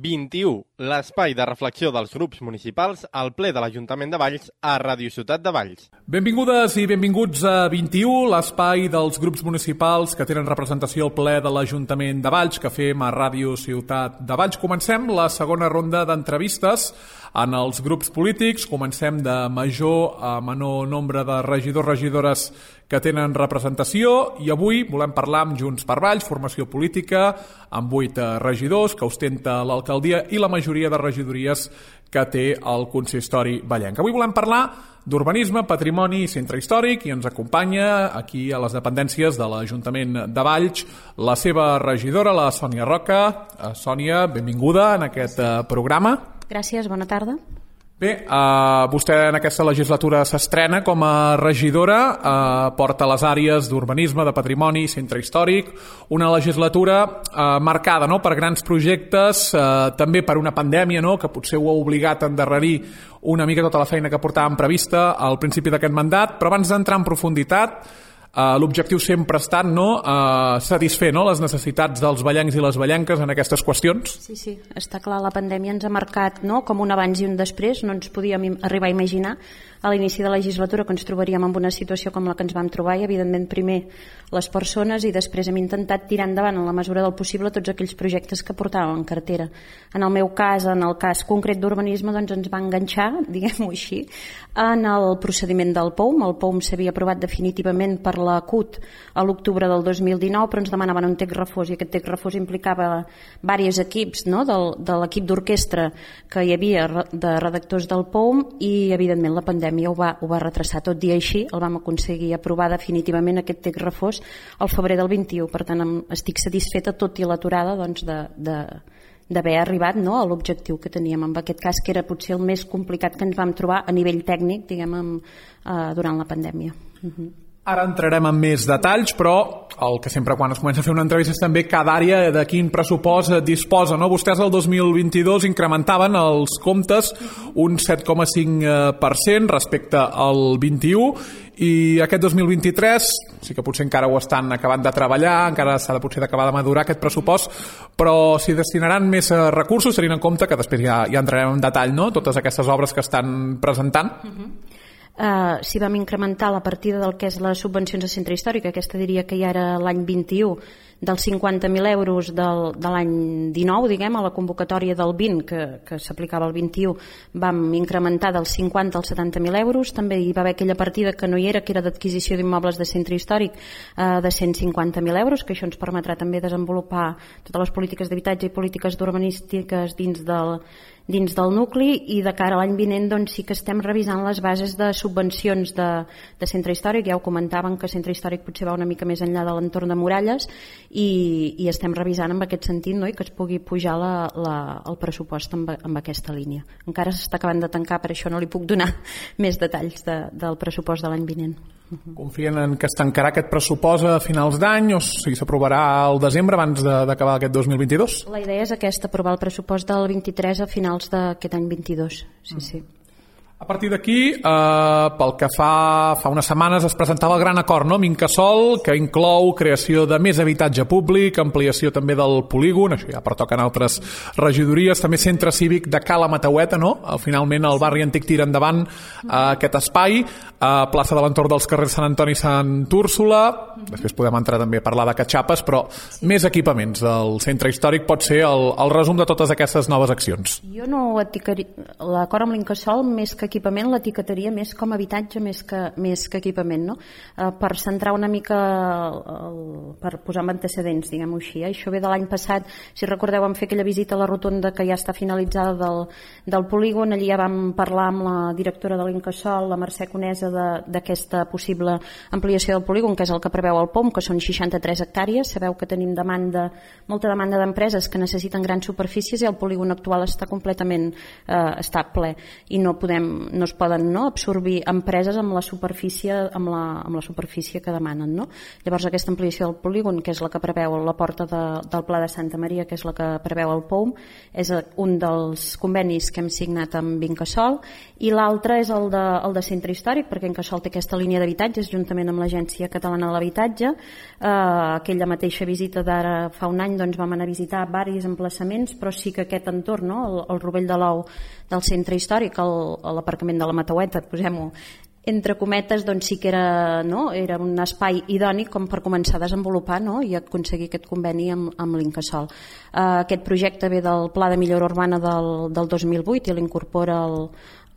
21, l'espai de reflexió dels grups municipals al ple de l'Ajuntament de Valls a Ràdio Ciutat de Valls. Benvingudes i benvinguts a 21, l'espai dels grups municipals que tenen representació al ple de l'Ajuntament de Valls, que fem a Ràdio Ciutat de Valls. Comencem la segona ronda d'entrevistes en els grups polítics. Comencem de major a menor nombre de regidors-regidores que tenen representació i avui volem parlar amb Junts per Valls, formació política, amb 8 regidors que ostenta l'alcaldia i la majoria de regidories que té el consistori vallenc. Avui volem parlar d'urbanisme, patrimoni i centre històric i ens acompanya aquí a les dependències de l'Ajuntament de Valls la seva regidora, la Sònia Roca. Sònia, benvinguda en aquest programa. Gràcies, bona tarda. Bé, vostè en aquesta legislatura s'estrena com a regidora, porta les àrees d'urbanisme, de patrimoni, centre històric, una legislatura marcada per grans projectes, també per una pandèmia que potser ho ha obligat a endarrerir una mica tota la feina que portàvem prevista al principi d'aquest mandat, però abans d'entrar en profunditat, l'objectiu sempre ha estat satisfer les necessitats dels vallencs i les vallenques en aquestes qüestions? Sí, està clar, la pandèmia ens ha marcat com un abans i un després. No ens podíem arribar a imaginar a l'inici de la legislatura que ens trobaríem en una situació com la que ens vam trobar i evidentment primer les persones i després hem intentat tirar endavant en la mesura del possible tots aquells projectes que portàvem en cartera. En el meu cas, en el cas concret d'urbanisme, ens va enganxar, diguem-ho així, en el procediment del POUM. El POUM s'havia aprovat definitivament per la CUT a l'octubre del 2019, però ens demanaven un text refós i aquest text refós implicava diversos equips de l'equip d'orquestra que hi havia de redactors del POUM i evidentment la pandèmia ho va retrasar. Tot i així el vam aconseguir aprovar definitivament aquest text refós al febrer del 21. Per tant, estic satisfeta tot i l'aturada d'haver arribat a l'objectiu que teníem en aquest cas, que era potser el més complicat que ens vam trobar a nivell tècnic, durant la pandèmia. Ara entrarem en més detalls, però el que sempre quan es comença a fer una entrevista és també cada àrea de quin pressupost disposa. Vostès el 2022 incrementaven els comptes un 7,5% respecte al 21 i aquest 2023 sí que potser encara ho estan acabant de treballar, encara s'ha de potser d'acabar de madurar aquest pressupost, però s'hi destinaran més recursos tenint en compte que després ja entrarem en detall totes aquestes obres que estan presentant. Si vam incrementar la partida del que és les subvencions de centre històric, aquesta diria que ja era l'any 21, dels 50.000 euros de l'any 19, a la convocatòria del 20, que s'aplicava al 21, vam incrementar dels 50 als 70.000 euros. També hi va haver aquella partida que no hi era, que era d'adquisició d'immobles de centre històric, de 150.000 euros, que això ens permetrà també desenvolupar totes les polítiques d'habitatge i polítiques urbanístiques dins del nucli, i de cara a l'any vinent sí que estem revisant les bases de subvencions de centre històric. Ja ho comentaven que centre històric potser va una mica més enllà de l'entorn de muralles i estem revisant en aquest sentit i que es pugui pujar el pressupost amb aquesta línia. Encara s'està acabant de tancar, per això no li puc donar més detalls del pressupost de l'any vinent. Confien en que es tancarà aquest pressupost a finals d'any o si s'aprovarà al desembre abans d'acabar aquest 2022? La idea és aquesta, aprovar el pressupost del 23 a finals d'aquest any 22. Sí. A partir d'aquí, pel que fa unes setmanes es presentava el gran acord, amb Incasòl, que inclou creació de més habitatge públic, ampliació també del polígon, això ja pertoquen altres regidories, també centre cívic de Cala Mataueta, finalment el barri antic tira endavant aquest espai, plaça de l'entorn dels carrers Sant Antoni i Sant Úrsula, després podem entrar també a parlar de catxapes, però més equipaments del centre històric pot ser el resum de totes aquestes noves accions. Jo no l'acord amb l'Incasòl, més que equipament, l'etiquetaria més com a habitatge més que equipament, per centrar una mica, per posar en antecedents, diguem-ho així. Això ve de l'any passat, si recordeu, vam fer aquella visita a la rotonda que ja està finalitzada del polígon. Allí ja vam parlar amb la directora de l'Incasòl, la Mercè Conesa, d'aquesta possible ampliació del polígon, que és el que preveu el POM, que són 63 hectàrees. Sabeu que tenim molta demanda d'empreses que necessiten grans superfícies i el polígon actual està completament ple i no podem no es poden absorbir empreses amb la superfície que demanen. Llavors aquesta ampliació del polígon, que és la que preveu la porta del Pla de Santa Maria, que és la que preveu el POUM, és un dels convenis que hem signat amb Incasòl, i l'altre és el de centre històric, perquè Incasòl té aquesta línia d'habitatges juntament amb l'Agència Catalana de l'Habitatge. Aquella mateixa visita d'ara fa un any vam anar a visitar diversos emplaçaments, però sí que aquest entorn, el Rovell de l'Ou del centre històric, l'aparcament de la Mataueta, posem-ho entre cometes, sí que era un espai idònic com per començar a desenvolupar i aconseguir aquest conveni amb l'Incasòl. Aquest projecte ve del Pla de Millora Urbana del 2008 i l'incorpora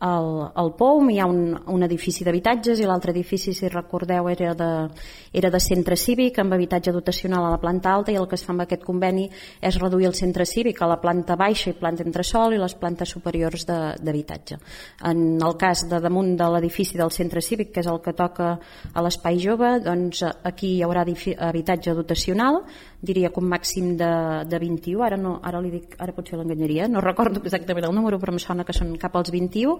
el POUM. Hi ha un edifici d'habitatges i l'altre edifici, si recordeu, era de centre cívic amb habitatge dotacional a la planta alta, i el que es fa amb aquest conveni és reduir el centre cívic a la planta baixa i planta entresòl i les plantes superiors d'habitatge. En el cas de damunt de l'edifici del centre cívic, que és el que toca a l'espai jove, aquí hi haurà habitatge dotacional, diria que un màxim de 21, ara potser l'enganyaria, no recordo exactament el número, però em sona que són cap als 21,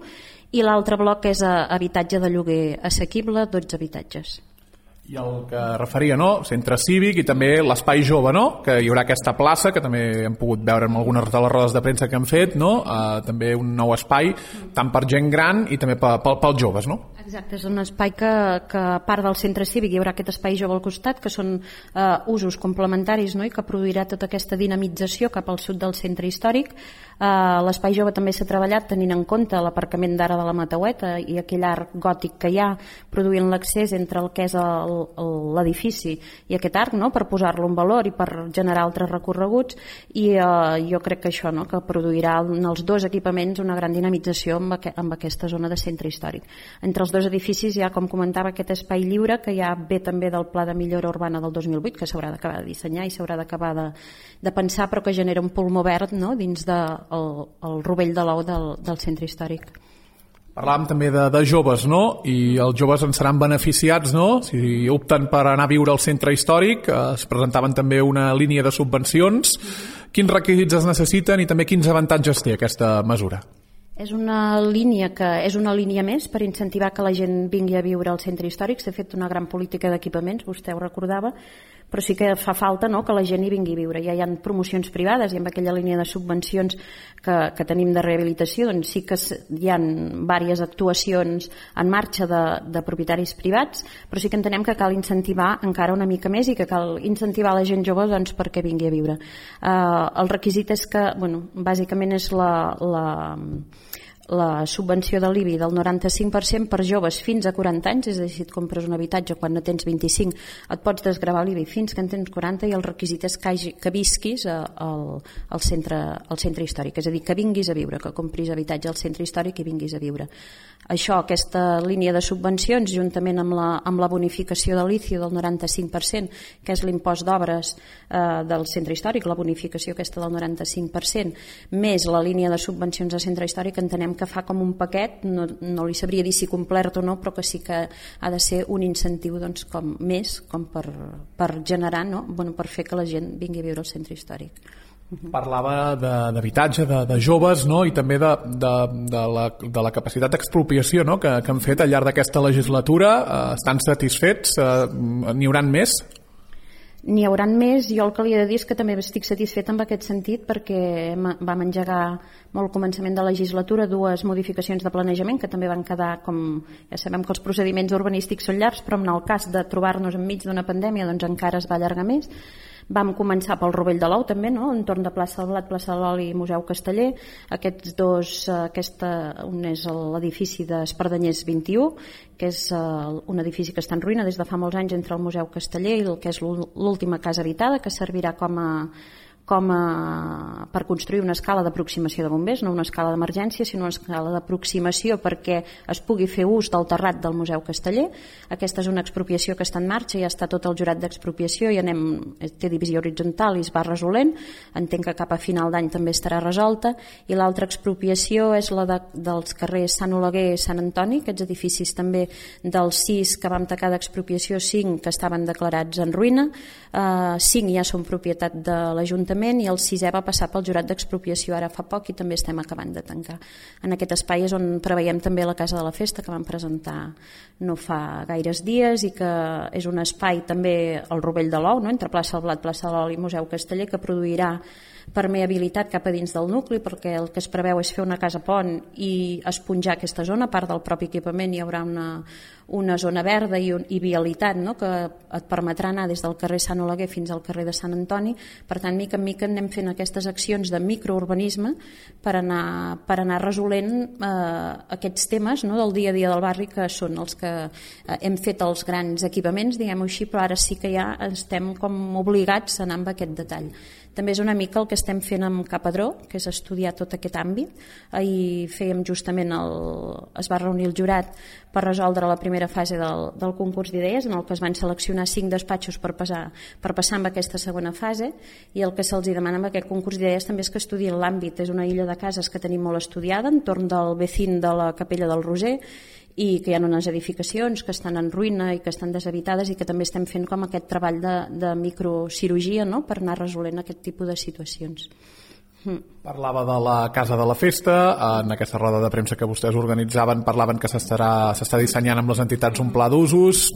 i l'altre bloc és habitatge de lloguer assequible, 12 habitatges. I el que referia, centre cívic i també l'espai jove, que hi haurà aquesta plaça, que també hem pogut veure en algunes de les rodes de premsa que han fet, també un nou espai, tant per gent gran i també pels joves, no? Exacte, és un espai que a part del centre cívic hi haurà aquest espai jove al costat, que són usos complementaris, i que produirà tota aquesta dinamització cap al sud del centre històric. L'espai jove també s'ha treballat tenint en compte l'aparcament d'ara de la Mataueta i aquell arc gòtic que hi ha, produint l'accés entre el que és l'edifici i aquest arc, per posar-lo en valor i per generar altres recorreguts, i jo crec que això que produirà en els dos equipaments una gran dinamització amb aquesta zona de centre històric. Entre els dos edificis hi ha, com comentava, aquest espai lliure que ja ve també del Pla de Millora Urbana del 2008, que s'haurà d'acabar de dissenyar i s'haurà d'acabar de pensar, però que genera un pulmó verd dins del Rovell de l'Ou del centre històric. Parlàvem també de joves, i els joves en seran beneficiats, si opten per anar a viure al centre històric. Es presentaven també una línia de subvencions. Quins requisits es necessiten i també quins avantatges té aquesta mesura? És una línia més per incentivar que la gent vingui a viure al centre històric. S'ha fet una gran política d'equipaments, vostè ho recordava, però sí que fa falta que la gent hi vingui a viure. Ja hi ha promocions privades i amb aquella línia de subvencions que tenim de rehabilitació, doncs sí que hi ha diverses actuacions en marxa de propietaris privats, però sí que entenem que cal incentivar encara una mica més i que cal incentivar la gent jove perquè vingui a viure. El requisit és que, bàsicament és la subvenció de l'IBI del 95% per joves fins a 40 anys, és a dir, si et compres un habitatge quan no tens 25 et pots desgravar l'IBI fins que en tens 40, i el requisit és que visquis al centre històric, és a dir, que vinguis a viure, que compris habitatge al centre històric i vinguis a viure. Aquesta línia de subvencions, juntament amb la bonificació de l'ICIO del 95%, que és l'impost d'obres del centre històric, la bonificació aquesta del 95%, més la línia de subvencions al centre històric, entenem que fa com un paquet, no li sabria dir si complet o no, però que sí que ha de ser un incentiu com per generar, per fer que la gent vingui a viure al centre històric. Parlava d'habitatge, de joves, i també de la capacitat d'expropiació que han fet al llarg d'aquesta legislatura. Estan satisfets? N'hi hauran més? N'hi hauran més. Jo el que li he de dir és que també estic satisfet en aquest sentit, perquè vam engegar molt al començament de la legislatura 2 modificacions de planejament que també van quedar, com ja sabem que els procediments urbanístics són llargs, però en el cas de trobar-nos enmig d'una pandèmia doncs encara es va allargar més. Vam començar pel Rovell de l'Ou també, entorn de plaça del Blat, plaça de l'Oli i Museu Casteller. Aquests dos, un és l'edifici d'Espardenyers 21, que és un edifici que està en ruïna des de fa molts anys entre el Museu Casteller i el que és l'última casa habitada, que servirà per construir una escala d'aproximació de bombers, no una escala d'emergència, sinó una escala d'aproximació perquè es pugui fer ús del terrat del Museu Casteller. Aquesta és una expropiació que està en marxa, ja està tot el jurat d'expropiació i té divisió horitzontal i es va resolent. Entenc que cap a final d'any també estarà resolta. I l'altra expropiació és la dels carrers Sant Oleguer i Sant Antoni, aquests edificis també dels 6 que vam tacar d'expropiació, 5 que estaven declarats en ruïna, 5 ja són propietat de l'Ajuntament l'Ajuntament, i el 6è va passar pel jurat d'expropiació ara fa poc i també estem acabant de tancar. En aquest espai és on preveiem també la Casa de la Festa, que vam presentar no fa gaires dies i que és un espai també al Rovell de l'Ou, no? Entre plaça del Blat, plaça de l'Oli i Museu Casteller, que produirà permeabilitat cap a dins del nucli, perquè el que es preveu és fer una casa pont i esponjar aquesta zona. A part del propi equipament hi haurà una zona verda i vialitat, no? Que et permetrà anar des del carrer Sant Oleguer fins al carrer de Sant Antoni. Per tant, mica en mica anem fent aquestes accions de microurbanisme per anar resolent aquests temes, no? Del dia a dia del barri, que són els que hem fet els grans equipaments, diguem-ho així, però ara sí que ja estem com obligats a anar amb aquest detall. També és una mica el que estem fent amb Capadró, que és estudiar tot aquest àmbit. Ahir fèiem justament es va reunir el jurat per resoldre la primera fase del concurs d'idees, en el que es van seleccionar 5 despatxos per passar amb aquesta segona fase, i el que se'ls demana amb aquest concurs d'idees també és que estudien l'àmbit. És una illa de cases que tenim molt estudiada, entorn del vecín de la Capella del Roser, i que hi ha unes edificacions que estan en ruïna i que estan deshabitades, i que també estem fent com aquest treball de microcirurgia, no? Per anar resolent aquest tipus de situacions. Parlava de la Casa de la Festa. En aquesta roda de premsa que vostès organitzaven parlaven que s'està dissenyant amb les entitats un pla d'usos,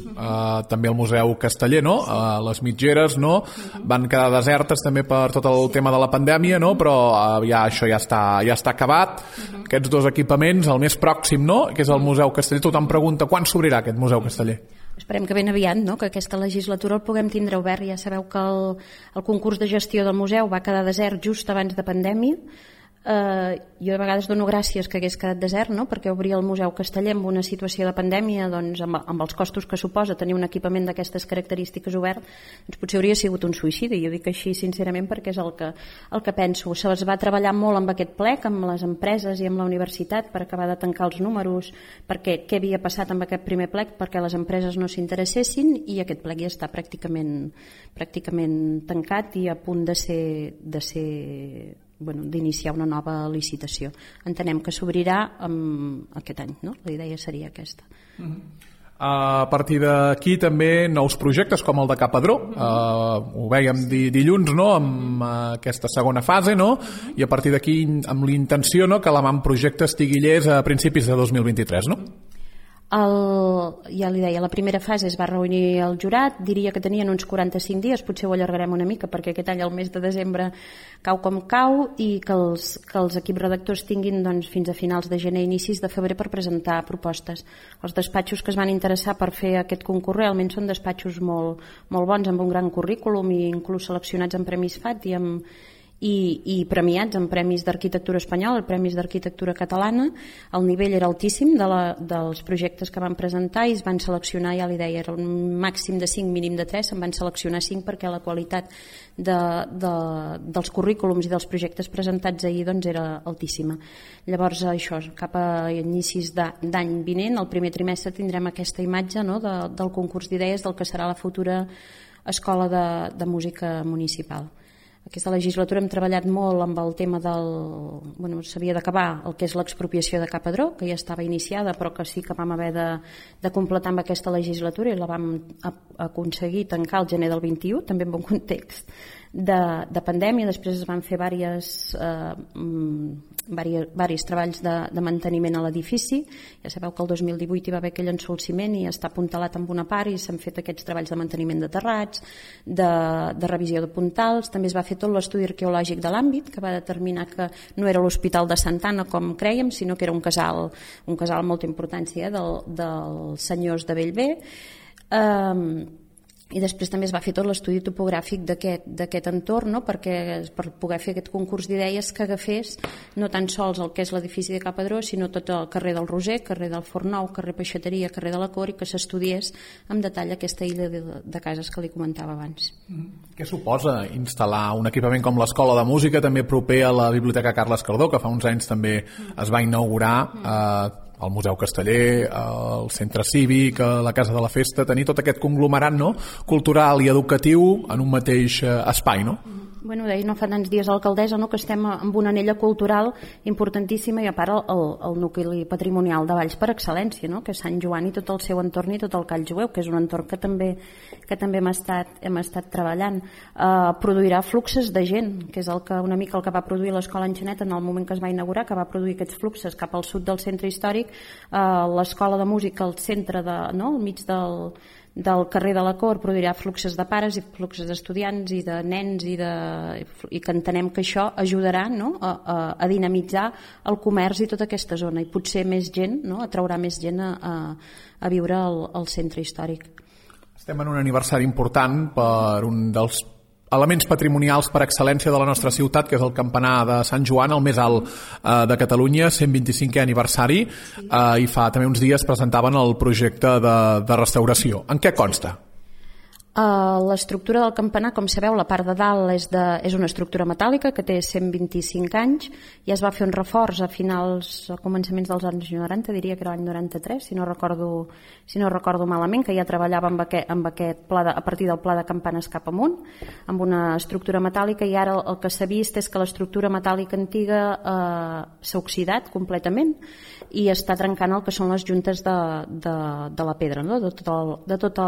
també el Museu Casteller, no? Les mitgeres, no? Van quedar desertes també per tot el tema de la pandèmia, no? Però això ja està acabat. Aquests 2 equipaments, el més pròxim, no? Que és el Museu Casteller. Tothom pregunta quan s'obrirà aquest Museu Casteller. Esperem que ben aviat, no? Que aquesta legislatura el puguem tindre obert. Ja sabeu que el concurs de gestió del museu va quedar desert just abans de pandèmia. Jo de vegades dono gràcies que hagués quedat desert, no? Perquè obrir el Museu Casteller en una situació de pandèmia, doncs, amb els costos que suposa tenir un equipament d'aquestes característiques obert, doncs potser hauria sigut un suïcidi. Jo dic així sincerament perquè és el que penso. Es va treballar molt amb aquest plec, amb les empreses i amb la universitat, per acabar de tancar els números, perquè què havia passat amb aquest primer plec, perquè les empreses no s'interessessin, i aquest plec ja està pràcticament tancat i a punt d'iniciar una nova licitació. Entenem que s'obrirà aquest any, no? La idea seria aquesta. A partir d'aquí també nous projectes com el de Capadró, ho vèiem dilluns, no? Amb aquesta segona fase, no? I a partir d'aquí amb l'intenció, no? Que l'avantprojecte estigui llest a principis de 2023, no? Ja li deia, la primera fase es va reunir el jurat, diria que tenien uns 45 dies, potser ho allargarem una mica perquè aquest any el mes de desembre cau com cau, i que els equips redactors tinguin doncs, fins a finals de gener, inicis de febrer per presentar propostes. Els despatxos que es van interessar per fer aquest concurs realment són despatxos molt bons, amb un gran currículum i inclús seleccionats en Premis FAT i premiats en Premis d'Arquitectura Espanyola, Premis d'Arquitectura Catalana. El nivell era altíssim dels projectes que van presentar i es van seleccionar, ja li deia, era un màxim de 5, mínim de 3, se'n van seleccionar 5 perquè la qualitat dels currículums i dels projectes presentats ahir doncs, era altíssima. Llavors això, cap a inicis d'any vinent, el primer trimestre, tindrem aquesta imatge, no? del concurs d'idees del que serà la futura Escola de Música Municipal. Aquesta legislatura hem treballat molt amb el tema s'havia d'acabar el que és l'expropiació de Capadró, que ja estava iniciada però que sí que vam haver de completar amb aquesta legislatura, i la vam aconseguir tancar el gener del 21, també en un context de pandèmia. Després es van fer diversos treballs de manteniment a l'edifici. Ja sabeu que el 2018 hi va haver aquell ensolciment i està apuntalat amb una part, i s'han fet aquests treballs de manteniment de terrats, de revisió de puntals. També es va fer tot l'estudi arqueològic de l'àmbit, que va determinar que no era l'Hospital de Santa Anna com crèiem, sinó que era un casal amb molta importància dels senyors de Bellver. I després també es va fer tot l'estudi topogràfic d'aquest entorn, no? Per poder fer aquest concurs d'idees que agafés no tan sols el que és l'edifici de Capadró, sinó tot el carrer del Roser, carrer del Forn Nou, carrer Peixateria, carrer de la Cor, i que s'estudiés amb detall aquesta illa de cases que li comentava abans. Què suposa instal·lar un equipament com l'Escola de Música, també proper a la Biblioteca Carles Cardó, que fa uns anys també es va inaugurar, el Museu Casteller, el Centre Cívic, la Casa de la Festa, tenir tot aquest conglomerat, no? Cultural i educatiu en un mateix espai, no? Bueno, deia no fa tants dies alcaldessa, no, que estem amb una anella cultural importantíssima i a part el nucli patrimonial de Valls per excel·lència, no, que és Sant Joan i tot el seu entorn i tot el Call Jueu, que és un entorn que també hem estat treballant. Produirà fluxes de gent, que és una mica el que va produir l'Escola Enxaneta en el moment que es va inaugurar, que va produir aquests fluxes cap al sud del centre històric, l'Escola de Música al centre, al mig del carrer de la Cort, produirà fluxes de pares i fluxes d'estudiants i de nens i que entenem que això ajudarà, no, a dinamitzar el comerç i tota aquesta zona i potser més gent, no, atraurà més gent a viure al centre històric. Estem en un aniversari important per un dels elements patrimonials per excel·lència de la nostra ciutat, que és el campanar de Sant Joan, el més alt de Catalunya, 125è aniversari, i fa també uns dies presentaven el projecte de restauració. En què consta? L'estructura del campanar, com sabeu, la part de dalt és una estructura metàl·lica que té 125 anys i es va fer un reforç a començaments dels anys 90, diria que era l'any 93, si no recordo malament, que ja treballava amb aquest pla a partir del pla de campanes cap amunt, amb una estructura metàl·lica, i ara el que s'ha vist és que l'estructura metàl·lica antiga s'ha oxidat completament i està trencant el que són les juntes de la pedra, no? de tot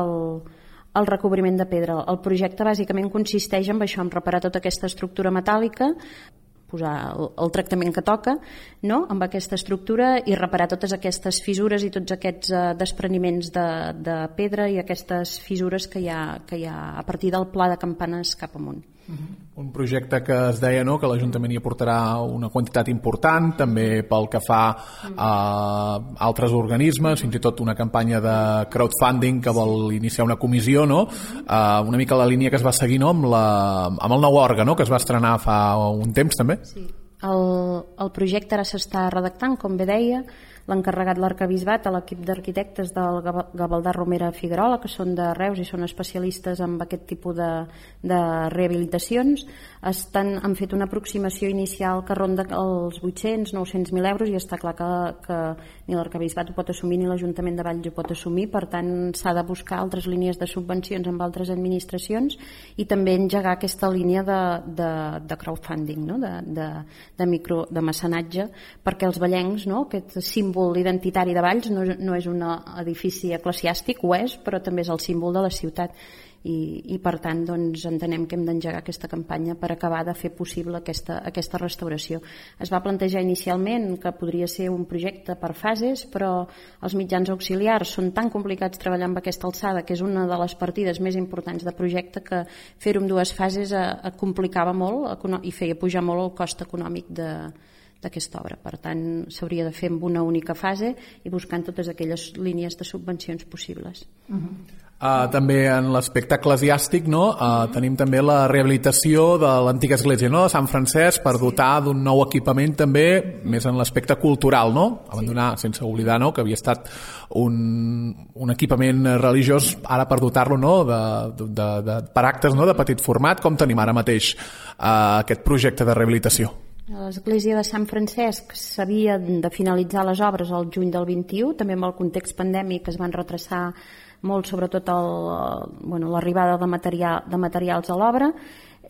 el recobriment de pedra. El projecte bàsicament consisteix en això, en reparar tota aquesta estructura metàl·lica, posar el tractament que toca, no?, amb aquesta estructura i reparar totes aquestes fissures i tots aquests despreniments de pedra i aquestes fissures que hi ha a partir del pla de campanes cap amunt. Un projecte que es deia, no?, que l'Ajuntament hi aportarà una quantitat important, també pel que fa a altres organismes, fins i tot una campanya de crowdfunding que vol iniciar una comissió, no?, una mica la línia que es va seguir, no?, amb el nou òrgan, no?, que es va estrenar fa un temps també. Sí. El projecte ara s'està redactant, com bé deia, l'encarregat l'Arquebisbat a l'equip d'arquitectes del Gavaldà Romera Figuerola, que són de Reus i són especialistes en aquest tipus de rehabilitacions. Han fet una aproximació inicial que ronda els 800-900.000 euros i està clar que ni l'Arquebisbat ho pot assumir ni l'Ajuntament de Valls ho pot assumir, per tant s'ha de buscar altres línies de subvencions amb altres administracions i també engegar aquesta línia de crowdfunding, no?, de mecenatge, perquè els vallencs, no?, aquest símbol identitari de Valls no és un edifici eclesiàstic, ho és, però també és el símbol de la ciutat i per tant doncs, entenem que hem d'engegar aquesta campanya per acabar de fer possible aquesta restauració. Es va plantejar inicialment que podria ser un projecte per fases, però els mitjans auxiliars són tan complicats treballar amb aquesta alçada, que és una de les partides més importants de projecte, que fer-ho en dues fases complicava molt i feia pujar molt el cost econòmic d'aquesta obra. Per tant, s'hauria de fer amb una única fase i buscant totes aquelles línies de subvencions possibles. També en l'aspecte eclesiàstic, no? Tenim també la rehabilitació de l'antiga església, no?, de Sant Francesc, per dotar d'un nou equipament també, més en l'aspecte cultural, no? Abandonar, sense oblidar, no?, que havia estat un equipament religiós, ara per dotar-lo, no?, per actes, no?, de petit format. Com tenim ara mateix aquest projecte de rehabilitació? A l'església de Sant Francesc s'havien de finalitzar les obres al juny del 21, també amb el context pandèmic es van retrasar molt, sobretot l'arribada de materials a l'obra,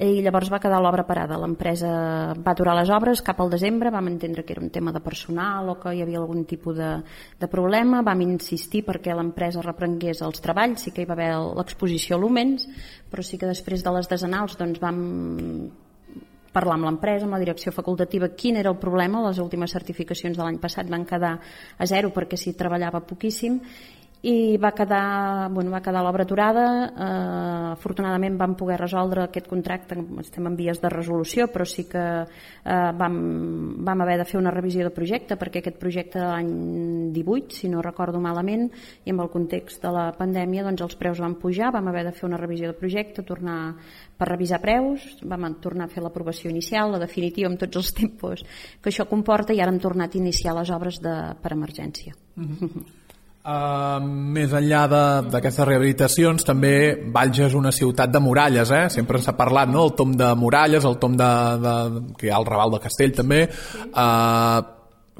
i llavors va quedar l'obra parada. L'empresa va aturar les obres cap al desembre, vam entendre que era un tema de personal o que hi havia algun tipus de problema, vam insistir perquè l'empresa reprengués els treballs, sí que hi va haver l'exposició Lumens, però sí que després de les desenals doncs vam parlar amb l'empresa, amb la direcció facultativa, quin era el problema. Les últimes certificacions de l'any passat van quedar a zero perquè s'hi treballava poquíssim i va quedar l'obra aturada. Afortunadament vam poder resoldre aquest contracte, estem en vies de resolució, però sí que vam haver de fer una revisió de projecte, perquè aquest projecte de l'any 18, si no recordo malament, i amb el context de la pandèmia doncs els preus van pujar, vam haver de fer una revisió de projecte, tornar per revisar preus, vam tornar a fer l'aprovació inicial, la definitiva, amb tots els tempos que això comporta, i ara hem tornat a iniciar les obres per emergència. Més enllà d'aquestes rehabilitacions, també Valls és una ciutat de muralles, sempre s'ha parlat, no?, el tomb de muralles, el tomb que hi ha al Raval de Castell també.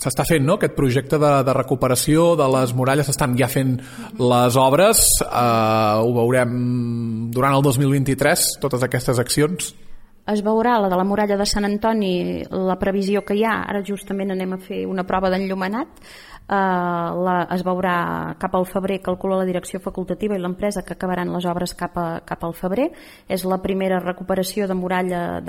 S'està fent, no?, aquest projecte de recuperació de les muralles, s'estan ja fent les obres, ho veurem durant el 2023, totes aquestes accions. Es veurà la de la muralla de Sant Antoni, la previsió que hi ha, ara justament anem a fer una prova d'enllumenat, es veurà cap al febrer, calcula la direcció facultativa i l'empresa que acabaran les obres cap al febrer. És la primera recuperació de muralla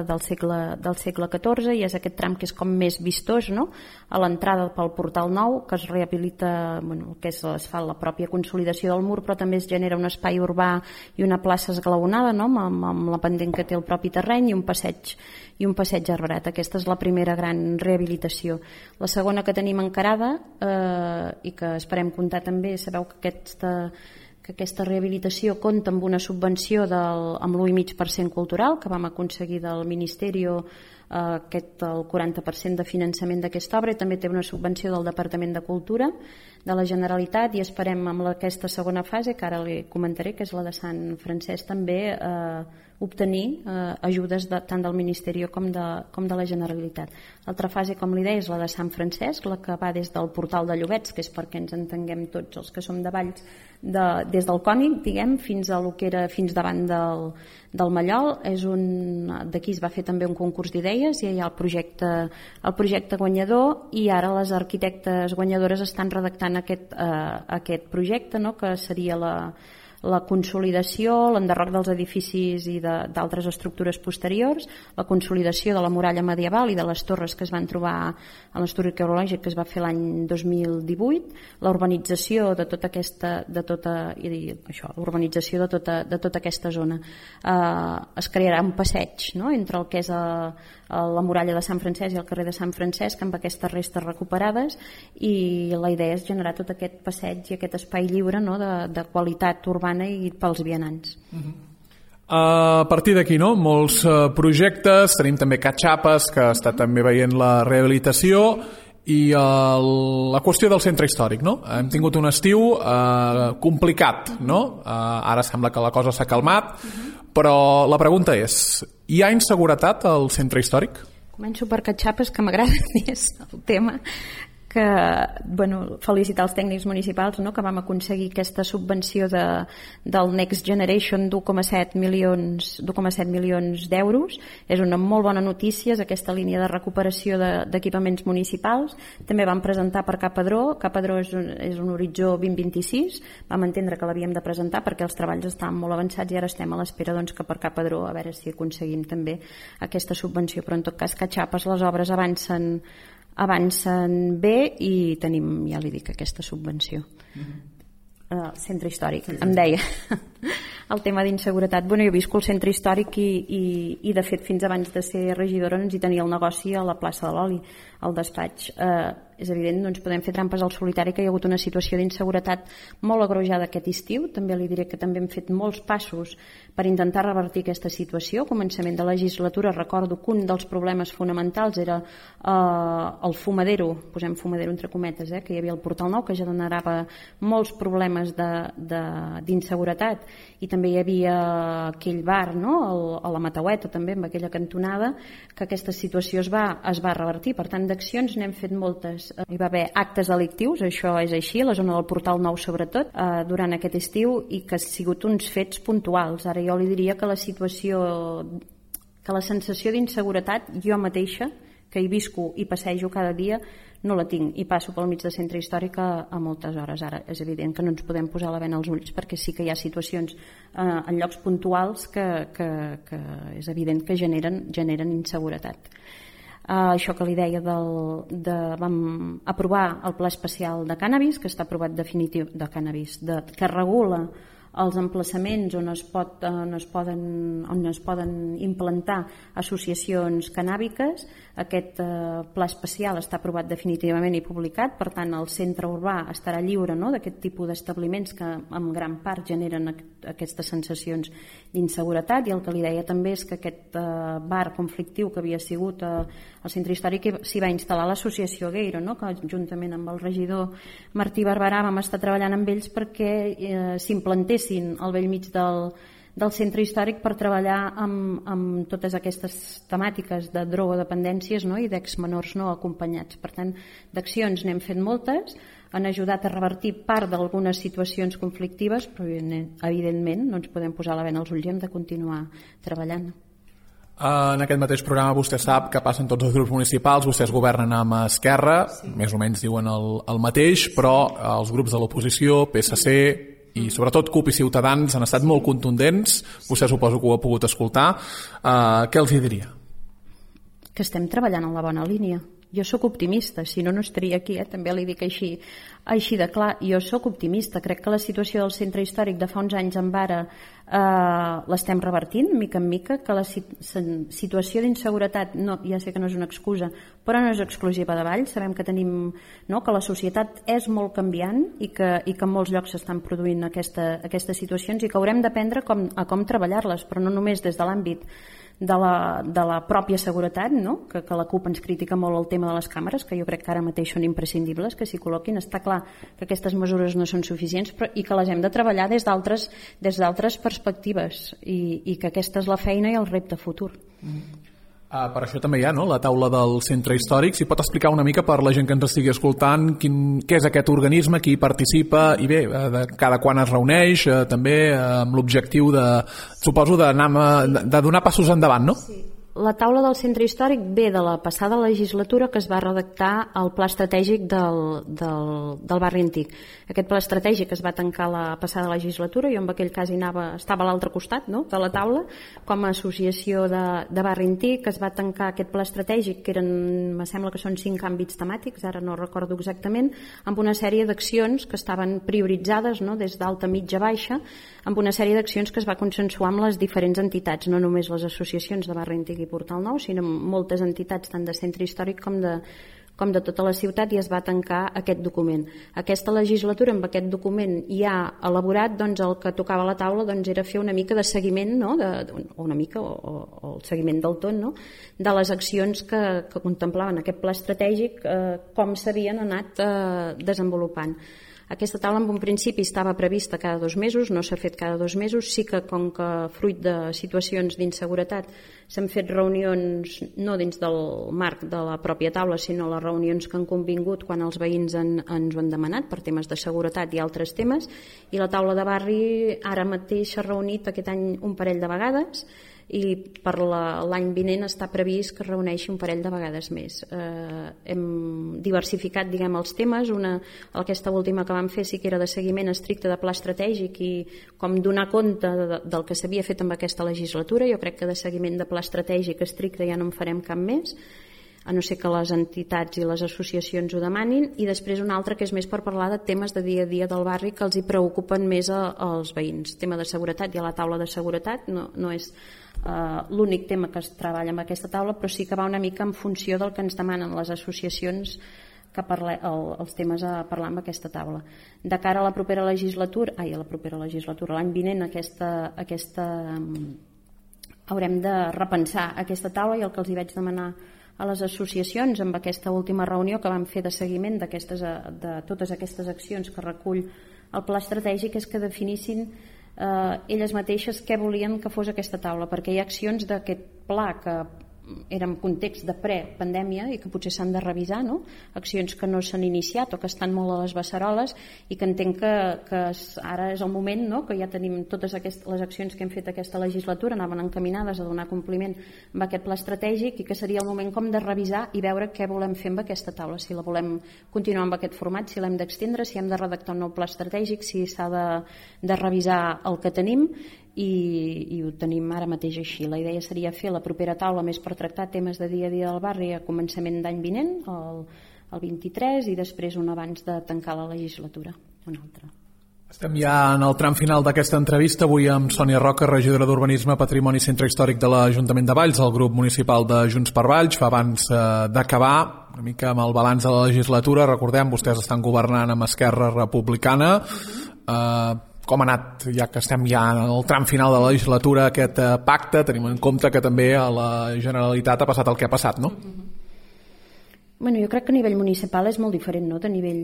del segle XIV i és aquest tram que és com més vistós, no? A l'entrada pel portal nou, que es rehabilita el que és l'asfalt, la pròpia consolidació del mur, però també es genera un espai urbà i una plaça esglaonada, no? amb la pendent que té el propi terreny i un passeig arbrat. Aquesta és la primera gran rehabilitació. La segona que tenim encarada i que esperem comptar també, sabeu que aquesta rehabilitació compta amb una subvenció amb l'1,5% cultural que vam aconseguir del Ministeri, el 40% de finançament d'aquesta obra, i també té una subvenció del Departament de Cultura de la Generalitat, i esperem amb aquesta segona fase, que ara li comentaré, que és la de Sant Francesc, també obtenir ajudes tant del Ministeri com de la Generalitat. L'altra fase, com li deia, és la de Sant Francesc, la que va des del portal de Llobets, que és perquè ens entenguem tots els que som de Valls, des del Cònic, diguem, fins a lo que era fins davant del Mallol. D'aquí es va fer també un concurs d'idees i hi ha el projecte guanyador, i ara les arquitectes guanyadores estan redactant aquest projecte, no? Que seria la consolidació, l'enderroc dels edificis i d'altres estructures posteriors, la consolidació de la muralla medieval i de les torres que es van trobar a l'estudi arqueològic que es va fer l'any 2018, la urbanització de tota aquesta zona. Es crearà un passeig, no? Entre el que és la muralla de Sant Francesc i el carrer de Sant Francesc, amb aquestes restes recuperades, i la idea és generar tot aquest passeig i aquest espai lliure, no? de qualitat urbana i pels vianants. A partir d'aquí, no? Molts projectes, tenim també Catxapes, que està també veient la rehabilitació, i la qüestió del centre històric, no? Hem tingut un estiu complicat, no? Ara sembla que la cosa s'ha calmat, però la pregunta és: hi ha inseguretat al centre històric? Començo per Catxapes, que m'agrada més el tema, que felicitar els tècnics municipals, no? Que vam aconseguir aquesta subvenció del Next Generation d'1,7 milions d'euros. És una molt bona notícia, és aquesta línia de recuperació d'equipaments municipals. També vam presentar per Capadró. Capadró és un horitzó 2026. Vam entendre que l'havíem de presentar perquè els treballs estaven molt avançats i ara estem a l'espera que per Capadró a veure si aconseguim també aquesta subvenció. Però en tot cas, Catxapes, les obres avancen bé i tenim, ja li dic, aquesta subvenció. Centre històric, em deia el tema d'inseguretat. Jo he viscut el centre històric i de fet fins abans de ser regidora ens hi tenia el negoci a la plaça de l'Oli, al despatx. És evident, no ens podem fer trampes al solitari, que hi ha hagut una situació d'inseguretat molt agreujada aquest estiu. També li diré que també hem fet molts passos per intentar revertir aquesta situació. A començament de legislatura recordo que un dels problemes fonamentals era el fumadero, posem fumadero entre cometes, que hi havia el Portal Nou, que ja generava molts problemes d'inseguretat, i també hi havia aquell bar, no? A la Mataueta també, amb aquella cantonada, que aquesta situació es va revertir. Per tant, d'accions n'hem fet moltes. Hi va haver actes delictius, això és així, a la zona del Portal Nou sobretot, durant aquest estiu, i que han sigut uns fets puntuals. Ara jo li diria que la sensació d'inseguretat, jo mateixa, que hi visco i passejo cada dia, no la tinc, i passo pel mig de centre històric a moltes hores. Ara és evident que no ens podem posar la bena als ulls, perquè sí que hi ha situacions en llocs puntuals que és evident que generen inseguretat. Això que li deia vam aprovar el Pla Especial de Cànnabis, que està aprovat definitiu de cànnabis, que regula els emplaçaments on es poden implantar associacions cannàbiques. Aquest pla especial està aprovat definitivament i publicat, per tant el centre urbà estarà lliure, no?, d'aquest tipus d'establiments que en gran part generen aquestes sensacions d'inseguretat. I el que li deia també és que aquest bar conflictiu que havia sigut al centre històric s'hi va instal·lar l'associació Gueiro, no?, que juntament amb el regidor Martí Barberà vam estar treballant amb ells perquè s'implantessin al bell mig del centre històric per treballar amb totes aquestes temàtiques de drogodependències, no?, i d'exmenors no acompanyats. Per tant, d'accions n'hem fet moltes, han ajudat a revertir part d'algunes situacions conflictives, però evidentment no ens podem posar la bena als ulls i hem de continuar treballant. En aquest mateix programa vostè sap que passen tots els grups municipals, vostès governen amb Esquerra, més o menys diuen el mateix, però els grups de l'oposició, PSC i sobretot CUP i Ciutadans han estat molt contundents, vostè suposo que ho ha pogut escoltar. Què els hi diria? Que estem treballant en la bona línia. Jo sóc optimista, si no, no estaria aquí, també li dic així de clar. Jo sóc optimista, crec que la situació del centre històric de fa uns anys en Vara l'estem revertint, mica en mica, que la situació d'inseguretat, ja sé que no és una excusa, però no és exclusiva de Valls, sabem que tenim, que la societat és molt canviant i que en molts llocs s'estan produint aquestes situacions i que haurem d'aprendre a com treballar-les, però no només des de l'àmbit de la pròpia seguretat, que la CUP ens critica molt el tema de les càmeres, que jo crec que ara mateix són imprescindibles que s'hi col·loquin. Està clar que aquestes mesures no són suficients i que les hem de treballar des d'altres perspectives i que aquesta és la feina i el repte futur. Per això també hi ha la taula del centre històric. Si pot explicar una mica per la gent que ens estigui escoltant què és aquest organisme, qui hi participa i bé, cada quan es reuneix, també amb l'objectiu suposo de donar passos endavant, no? Sí. La taula del centre històric ve de la passada legislatura que es va redactar el pla estratègic del barri antic. Aquest pla estratègic es va tancar la passada legislatura, jo en aquell cas estava a l'altre costat de la taula, com a associació de barri antic. Es va tancar aquest pla estratègic, que me sembla que són 5 àmbits temàtics, ara no recordo exactament, amb una sèrie d'accions que estaven prioritzades des d'alta, mitja, baixa, amb una sèrie d'accions que es va consensuar amb les diferents entitats, no només les associacions de barri antic i Portal Nou, sinó moltes entitats tant de centre històric com de tota la ciutat, i es va tancar aquest document. Aquesta legislatura, amb aquest document ja elaborat, el que tocava a la taula era fer una mica de seguiment, o el seguiment del tot, de les accions que contemplaven aquest pla estratègic, com s'havien anat desenvolupant. Aquesta taula en un principi estava prevista cada 2 mesos, no s'ha fet cada 2 mesos, sí que com que fruit de situacions d'inseguretat s'han fet reunions no dins del marc de la pròpia taula, sinó les reunions que han convingut quan els veïns ens ho han demanat per temes de seguretat i altres temes, i la taula de barri ara mateix s'ha reunit aquest any un parell de vegades i per l'any vinent està previst que es reuneixi un parell de vegades més. Hem diversificat els temes. Aquesta última que vam fer sí que era de seguiment estricte de pla estratègic i com donar compte del que s'havia fet amb aquesta legislatura. Jo crec que de seguiment de pla estratègic estricte ja no en farem cap més, a no ser que les entitats i les associacions ho demanin, i després una altra que és més per parlar de temes de dia a dia del barri que els hi preocupen més als veïns. Tema de seguretat, hi ha la taula de seguretat, no és l'únic tema que es treballa amb aquesta taula, però sí que va una mica en funció del que ens demanen les associacions que els temes a parlar amb aquesta taula. De cara a la propera legislatura, l'any vinent haurem de repensar aquesta taula, i el que els hi vaig demanar a les associacions amb aquesta última reunió que vam fer de seguiment de totes aquestes accions que recull el pla estratègic és que definissin elles mateixes què volien que fos aquesta taula, perquè hi ha accions d'aquest pla que eren en context de pre-pandèmia i que potser s'han de revisar, accions que no s'han iniciat o que estan molt a les beceroles, i que entenc que ara és el moment, que ja tenim totes les accions que hem fet aquesta legislatura anaven encaminades a donar compliment amb aquest pla estratègic, i que seria el moment com de revisar i veure què volem fer amb aquesta taula, si la volem continuar amb aquest format, si l'hem d'extendre, si hem de redactar un nou pla estratègic, si s'ha de revisar el que tenim, i ho tenim ara mateix així. La idea seria fer la propera taula més per tractar temes de dia a dia del barri a començament d'any vinent, el 23, i després un abans de tancar la legislatura, una altra. Estem ja en el tram final d'aquesta entrevista, avui amb Sònia Roca, regidora d'Urbanisme, Patrimoni i Centre Històric de l'Ajuntament de Valls, el grup municipal de Junts per Valls. Fa abans d'acabar una mica amb el balanç de la legislatura, recordem, vostès estan governant amb Esquerra Republicana. Com ha anat, ja que estem ja en el tram final de la legislatura, aquest pacte? Tenim en compte que també a la Generalitat ha passat el que ha passat, no? Jo crec que a nivell municipal és molt diferent, de nivell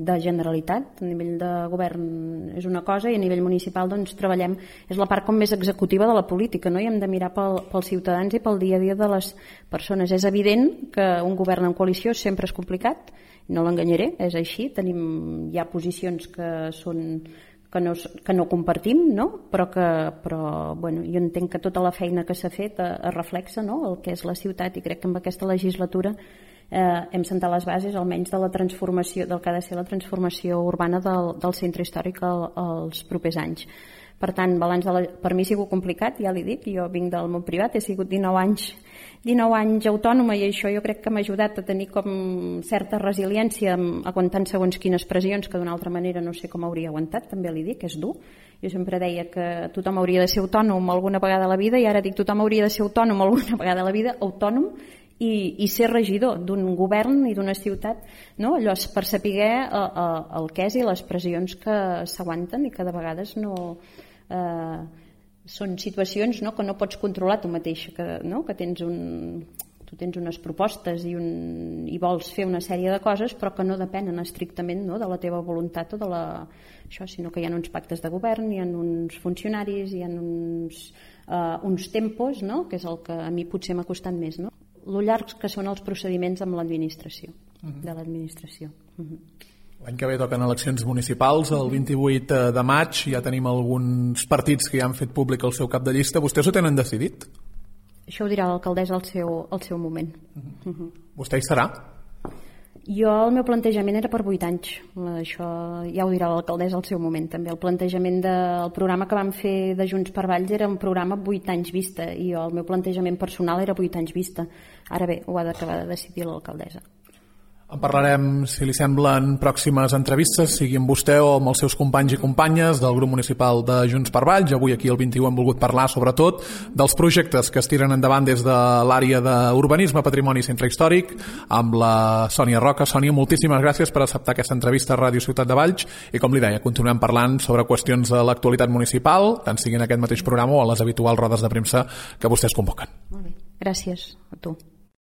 de Generalitat. A nivell de govern és una cosa, i a nivell municipal treballem, és la part com més executiva de la política, i hem de mirar pels ciutadans i pel dia a dia de les persones. És evident que un govern en coalició sempre és complicat, no l'enganyaré, és així. Hi ha posicions que que no compartim, no? Però bueno, jo entenc que tota la feina que s'ha fet es reflexa, no? El que és la ciutat, i crec que amb aquesta legislatura hem sentat les bases almenys de la transformació, del que ha de ser la transformació urbana del centre històric als propers anys. Per tant, per mi ha sigut complicat, ja l'he dit, jo vinc del món privat, he sigut 19 anys autònoma, i això jo crec que m'ha ajudat a tenir com certa resiliència aguantant segons quines pressions que d'una altra manera no sé com hauria aguantat, també li dic, és dur. Jo sempre deia que tothom hauria de ser autònom alguna vegada a la vida, i ara dic tothom hauria de ser autònom alguna vegada a la vida, autònom i ser regidor d'un govern i d'una ciutat, no? Allò per saber el que és i les pressions que s'aguanten i que de vegades no... són situacions, no, que no pots controlar tu mateix, no? Que tu tens unes propostes i vols fer una sèrie de coses, però que no depenen estrictament, no, de la teva voluntat o de això, sinó que hi ha uns pactes de govern, hi ha uns funcionaris, hi ha uns tempos, no? Que és el que a mi potser m'ha costat més, no? Lo llargs que són els procediments amb l'administració, de l'administració. L'any que ve toquen eleccions municipals, el 28 de maig, ja tenim alguns partits que ja han fet públic el seu cap de llista. Vostès ho tenen decidit? Això ho dirà l'alcaldessa al seu moment. Vostè hi serà? Jo, el meu plantejament era per 8 anys. Això ja ho dirà l'alcaldessa al seu moment, també. El plantejament del programa que vam fer de Junts per Valls era un programa 8 anys vista, i el meu plantejament personal era 8 anys vista. Ara bé, ho ha d'acabar de decidir l'alcaldessa. En parlarem, si li semblen, pròximes entrevistes, sigui amb vostè o amb els seus companys i companyes del grup municipal de Junts per Valls. Avui aquí al 21 hem volgut parlar sobretot dels projectes que es tiren endavant des de l'àrea d'urbanisme, patrimoni i centre històric amb la Sònia Roca. Sònia, moltíssimes gràcies per acceptar aquesta entrevista a Ràdio Ciutat de Valls, i com li deia, continuem parlant sobre qüestions de l'actualitat municipal, tant sigui en aquest mateix programa o a les habituals rodes de premsa que vostès convoquen. Molt bé, gràcies a tu.